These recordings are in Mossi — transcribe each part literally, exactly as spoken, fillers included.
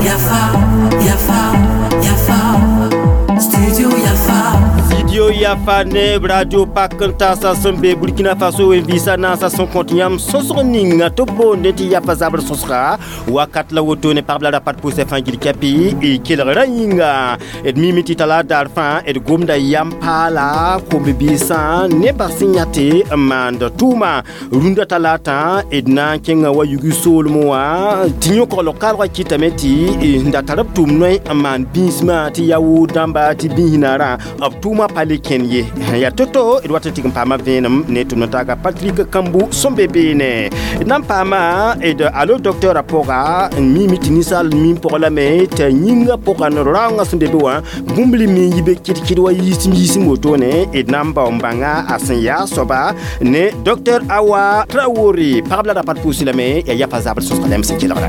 Yafa, Yafa, Yafa, Studio Yafa. Studio Yafa ne radio pakanta sẽn be Burkina Faso n vɩɩsa naasã sẽn kõt yãmb sõsg ninga tɩ b boonde tɩ yafa zabr sõsga wakat la woto ne pagb la rapat pʋʋsɛ fãa gil kɛpɩ y kelgra yĩnga d miime tɩ tala daar fãa d gomda yam paala kom-biisã nebã sẽn yã tɩ n maand tʋʋma rũndã talaatã d na n kẽnga wa yugi soolmẽ wã tɩ yõ-koglg kaalgã kɩtame tɩ n da tar b tʋʋm noe n maan bĩismã tɩ yaa wʋʋd dãmba tɩ bĩisnaarã b tʋʋmã pa le kẽn ye yaa to-to d wat n tɩg n paama vẽenem ne tʋm n taaga Patrick Kambu sẽn be beene d na n paama d alo docteur a pʋga n miime tɩ ninsaal mim pʋgã lame t'a yĩngã pʋgã n raoongã sẽn be be wã bũmb le me n yi be kɩd-kɩd wa yiisem yiisem wotone d na n bao n bãnga a sẽn yaa soaba ne docteur Awa Traoré pagb la rapat pʋʋsẽ lame yaa yafa zabr sõsga lame sẽn kelgra.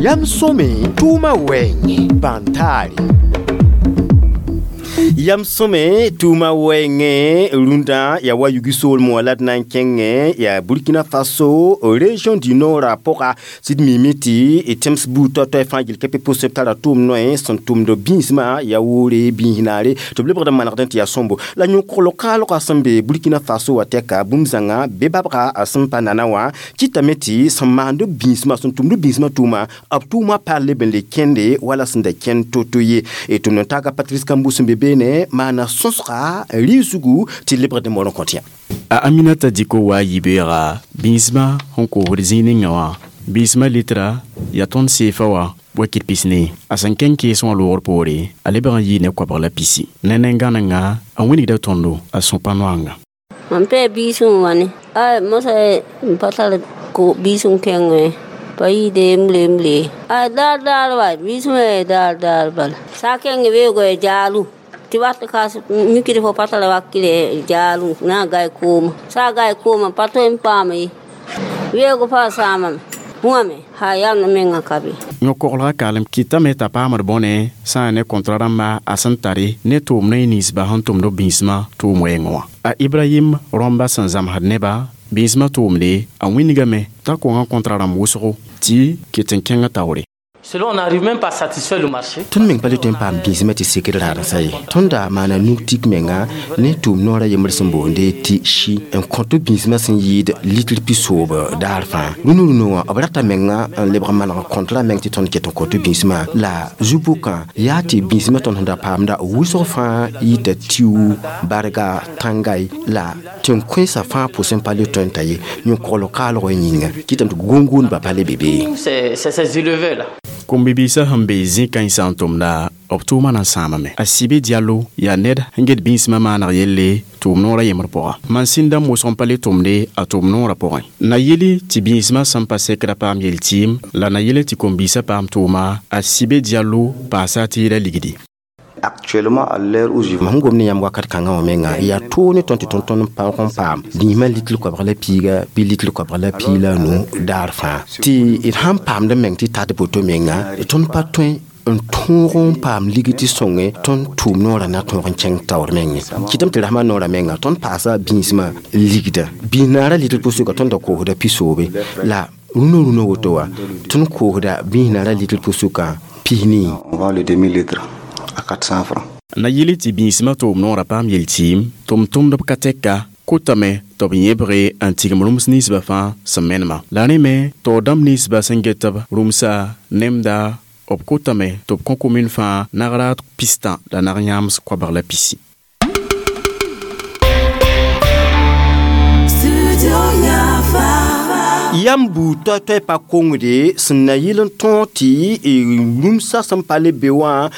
Yam sõme tʋʋma wɛɛngẽ bãntaare. Yam sõme tʋʋma wɛɛngẽ rũndã yaa wa yugi soolmẽ wã la d na n kẽngẽ yaa Burkina Faso région du Nord a pʋga sɩd miime tɩ tẽms buud toay-toay fãa gil kɛpɩ pʋsẽ b tara tʋʋm noe sẽn tʋmd bĩismã yaa woore bĩis naare tɩ b lebgd n manegdẽ tɩ yaa sõmbo la yõ-koglg kaalgã sẽn be Burkina Faso wã tɛka bũmb zãnga be babga a sẽn pa nana wã kɩtame tɩ sẽn maand bĩismã sẽn tʋmd bĩismã tʋʋma b tʋʋmã pa leb n le kẽnde wala sẽn da kẽnd to-to ye tʋm n taaga Patrice Kambu sẽn be beene maana sõsga rɩ-zugu tɩ lebgd n moor n kõt yã. A Aminata Diko wa yibeega bĩismã sẽn koosd zĩig ninga wã bĩismã litra yaa tõnd seefa wã wakit pisne a sẽn kẽng kees wã loogr poore a lebg n yɩ ne koabg la pisi ne nengãnenga a wĩnigda tõndo a sõpa noanga. Mam pee biisẽ wã ne ay mosa n pa tar biisẽ kẽngẽ pa yɩɩde m le m le ay daar daar wa biisẽ daar daar bala sã kẽng weoogã jaalu tɩ wat kas mikd fo pa tara wakre jaalu na n gai kooma sã gai kooma pa tõe n paam ye weoog pa sãamame wãme ha yamd mengã ka be. Yõ-koglgã kaalem kɩtame t'a paamd bõne sã n ne kõntra rãmba a sẽn tare ne tʋʋm noe ninsba sẽn tʋmd b bĩismã tʋʋm wɛɛngẽ wã. A Ibrahim rõmba sẽn zãmsd nebã bĩismã tʋʋmde a wĩnigame t'a kongã kõntra rãmb wʋsgo tɩ ket n kẽng taoore. Selon, on n'arrive même pas à satisfaire le marché. Tõnd meng pa le tõe n paam bĩismã tɩ sekr raadã ye. Tõnd da maana nug tik menga ne tʋʋm noorã yembr sẽn boonde tɩ shi n kõt bĩismã sẽn yɩɩd litr pisoob daar fãa. Rũnu rũnu wã b rata menga n lebg n maneg kõntra meng tɩ tõnd ket n kõt bĩismã la zu-bʋkã yaa tɩ bĩismã tõnd sẽn da paamda wʋsg fãa yita tiwu barga tãngai la tẽn-kõensã fãa pʋsẽ pa le tõe n ta ye yõ-koglg kaalg yĩnga kɩtame tɩ gũngũundbã pa le be be. C'est ces éleveurs là. Kom-bibiisã sẽn be zĩ-kãensã n tʋmda b tʋʋmã na n sãamame. A Sibe Diallo yaa ned sẽn get bĩismã maaneg yelle tʋʋm noorã yembr pʋga. Mansĩn dãmb wʋsg n pa le tʋmde a tʋʋm noorã pʋgẽ. Na yele tɩ bĩismã sẽn pa sekra paam yel-tɩɩm la na yele tɩ kom-biisã paam tʋʋma a Sibe Diallo paasa tɩ yɩla ligdi. Actuellement, à l'heure où je Mam gom ne yãmb wakat kãngã wã menga yaa toog ne tõnd tɩ tõnd tõnd n paoog n paam bĩismã litr koabg la piiga bɩ litr koabg la pii la nu daar fãa tɩ d sãn paamd meng tɩ tat boto menga tõnd pa tõe n tõog n paam ligd tɩ sõnge tõnd tʋʋm noorã na tõog n kẽng taoor menge kɩtame tɩ rasmã noorã menga tõnd paasa bĩismã ligda bĩis naarã litr pʋsʋka tõnd da koosda pisoobe la rũnã rũnã woto wã tõnd koosda bĩis naarã litr pʋsʋka pisnii. On vend le demi-litre à quatre cents francs. Na yele tɩ bĩismã tʋʋm noorã paam yel-tɩɩm tʋm-tʋmdb ka tɛka kotame tɩ b yẽbge n tigim rũms ninsbã fãa sẽn menema. La rẽ me taoor dãmb ninsbã sẽn get b rũmsa nemda b kotame tɩ b kõ komin fãa nagraad pistã la nag yãams koabg la pisi. Yam buud toay-toay pa kongde sẽn na yɩl n tõog tɩ rũmsã sẽn pa le be wã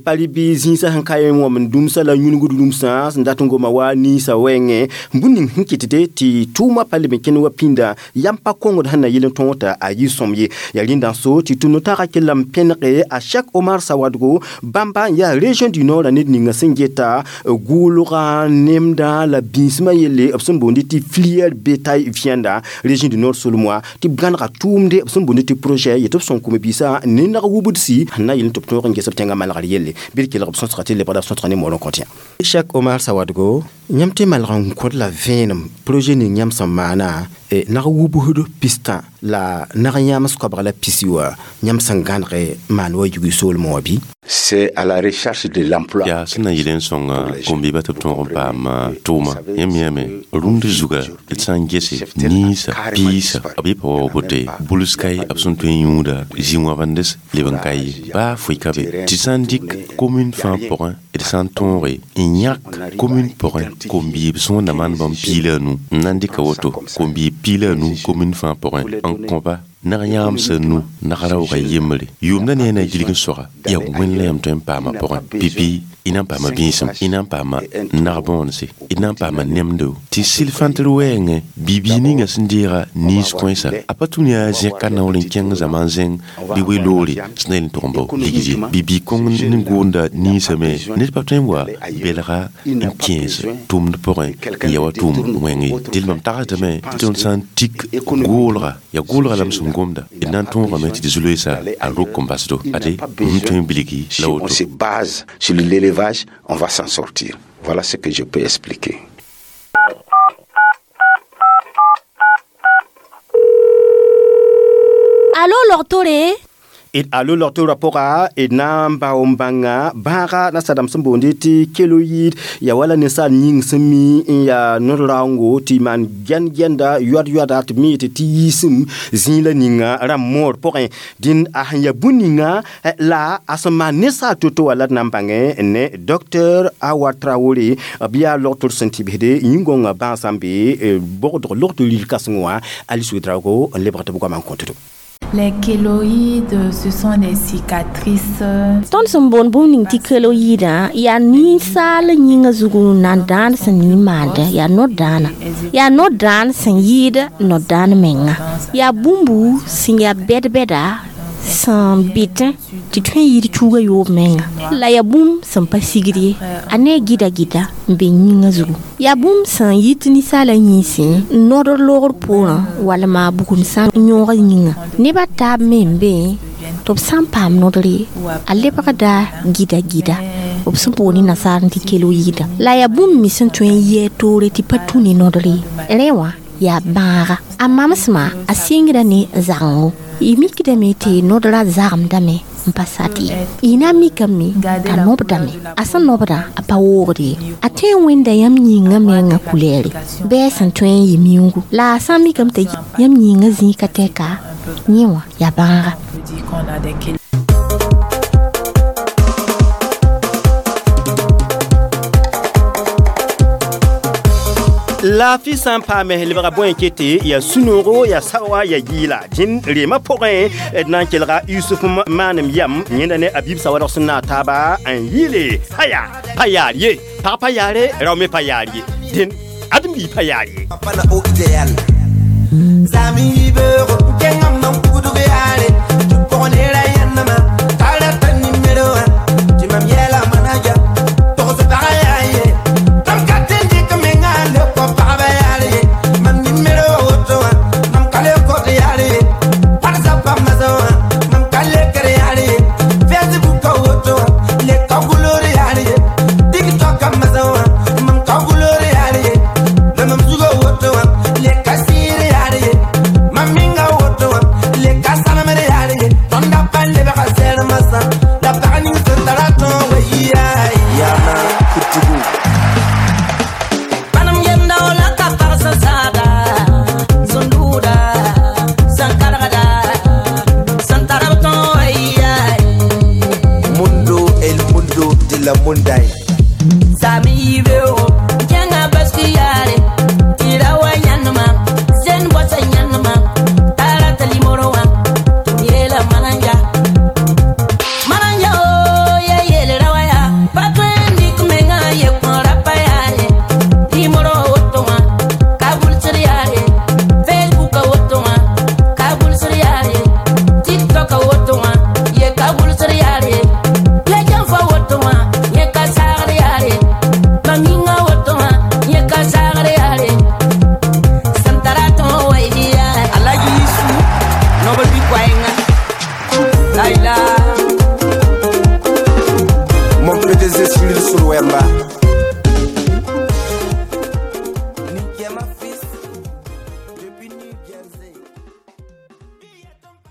pa le bɩ zĩisã sẽn ka yẽ wãmd dũmsã la yũnugd rũmsã sẽn dat n goma wa ninsã wɛɛngẽ bũmb ning sẽn kɩtde tɩ tʋʋmã pa leb n kẽnd wa pĩnda yam pa kongd sẽn na yɩl n tõog t'a a yɩ sõm ye yaa rẽnda n so tɩ tʋm no-taagã kell n pẽnege a Cheikh Omar Sawadgo bãmba n yaa région du Nord ned ninga sẽn geta gʋʋlgã nemdã la bĩismã yelle b sẽn boonde tɩ filière bétail viande région du Nord solem. wã tɩ b gãnega tʋʋmde b sẽn boond tɩ projet yetɩ b sõn kũm-biisã ne nag wubdsi na yel tɩ b tõog n ges b tẽngã malgr yelle bɩ d kelg b sõsga tɩ lebgda b sõsga ne moor n kõt yã Cheikh Omar Sawadgo yãmb tɩ malg n kõd la vẽenem projet ning yãmb sẽn maana nag wubsd pistã la nag yãms koabg la pisi wã yãmb sẽn gãnege maan wa yugi soolmẽ wã bɩ? C'est à la recherche de l'emploi. Yaa sẽn na yɩl n sõnga kom-biibã tɩ b tõog n paam tʋʋma yãmb yãame rũnd zuga d sã n gese ninsã piisã b yɩ pa wa wote buls-kae b sẽn tõe n yũuda zĩ-wãbendes leb n ka ye baa foe ka be tɩ sã n dɩk commune fãa pʋgẽ d sã n tõoge n yãk commune pʋgẽ kom-biib sẽn wẽnda maan bãmb piig la a nu n na n dɩka woto kom-biib piig la a nu commune fãa pʋgẽ n kõba nag yãamsã nu nag raooga yembre yʋʋmda ne a na gilg n soga yaa wẽnd la yãmb tõe n paama pʋgẽ pipi y na n paama bĩisem y na n paama nag bõonse y na n paama nemdo tɩ sɩl fãntr wɛɛngẽ bibii ninga sẽn deega niins kõesa a pa tũ yaa zẽk ka naoor n kẽng zãma n zẽng bɩ we-loore sẽn na yel n tʋg n bao ligd ye bibii kõng ne goonda ninsame ned pa tõe n wa belga n kẽes tʋmd pʋgẽ n ya wa tʋʋm wẽng ye dẽl mam tagsdame tɩ tõnd sã n tik goolga yaa goolga la m sẽn gomda d na n tõogame tɩ d zu-loeesa a rok n basdo ade m tõe n bilgi la On woto. se base sur l'élevage, on va s'en sortir. Voilà ce que je peux expliquer. Alo logtore. D alo log-torã pʋga d na n bao n bãnga bãaga nasadãmb sẽn boonde tɩ keloyid ya wala ninsaal yĩng sẽn mi n yaa nod-raoongo tɩ maan gɛnd-gɛnda yoad-yoada tɩ b mi yetɩ tɩ yiisem zĩig la ninga rãmb moor pʋgẽ dĩnd a sẽn ya bũn ninga la a sẽn maan ninsaal to-to wã la d na n bãngẽ ne docteur Awa Traoré b yaa log-tor sẽn tɩbsde yĩn-gõngã bãasã n be bogdg log-tɩ ril kãseng wã Alice Ouedraogo n lebg tɩ b goamã n kõtdo. Les kéloïdes, ce sont des cicatrices. Tõnd sẽn boond bũmb ning tɩ keloyidã yaa ninsaal yĩngã zugu nan-dãan sẽn ning maandẽ yaa no-dãana yaa no-dãan sẽn yɩɩd no-dãan menga yaa bũmbu sẽn yaa bɛd-bɛda sẽn bɩtẽ tɩ tõe n yɩɩd tuuga yoob menga la yaa bũmb sẽn pa sigd ye a ne a gɩda gɩda n be yĩngã zugu yaa bũmb sẽn yit ninsaalã yĩnsẽ n nodr loogr poorẽ walma bugum sã n yõog yĩngã neb a taab me n be tɩ b sã n paam nodre a lebgda gɩda gɩda b sẽn boond nasaar tɩ keloyida la yaa bũmb me sẽn tõe n yɛɛ toore tɩ pa tũ ne nodre ye rẽ wã yaa bãaga a mamsmã a sɩngra ne zagengo y mikdame tɩ nodrã zagemdame n pa sat ye y na n mikame t'a nobdame a sẽn nobdã a pa woogd ye a tõe n wẽnda yãmb yĩngã mengã kulɛɛre bɩ a sẽn tõe n yɩ miuugu la a sã n mikame tɩ yãmb yĩngã zĩig ka tɛka yẽ wã yaa bãaga. On peut dire qu'on a des kéloïdes. Laafɩ sã n paame lebga bõe kete yaa sũ-noogo yaa saoa yaa yɩɩla dĩn reemã pʋgẽ d na n kelga Yusuf maanem yam yẽnda ne a biib sawadg sẽn naag taaba n yɩɩle paya pa yaar ye pag pa yaare rao me pa yaar ye dẽn ãdem-biig pa yaar ye. Zami